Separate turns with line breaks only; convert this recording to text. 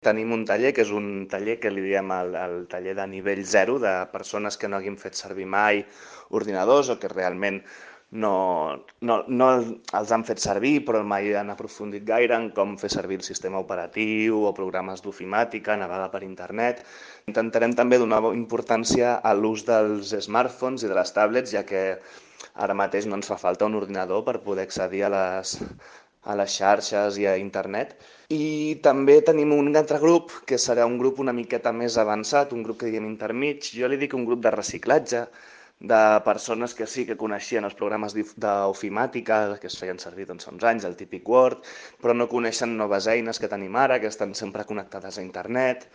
Tenim un taller que és un taller que li diem el taller de nivell 0, de persones que no hagin fet servir mai ordinadors o que realment no els han fet servir però mai han aprofundit gaire en com fer servir el sistema operatiu o programes d'ofimàtica, navegar per internet. Intentarem també donar importància a l'ús dels smartphones i de les tablets, ja que ara mateix no ens fa falta un ordinador per poder accedir a les xarxes i a internet. I també tenim un altre grup, que serà un grup una miqueta més avançat, un grup que diguem intermig. Jo li dic un grup de reciclatge, de persones que sí que coneixien els programes d'ofimàtica, que es feien servir doncs, fa uns anys, el típic Word, però no coneixen noves eines que tenim ara, que estan sempre connectades a internet.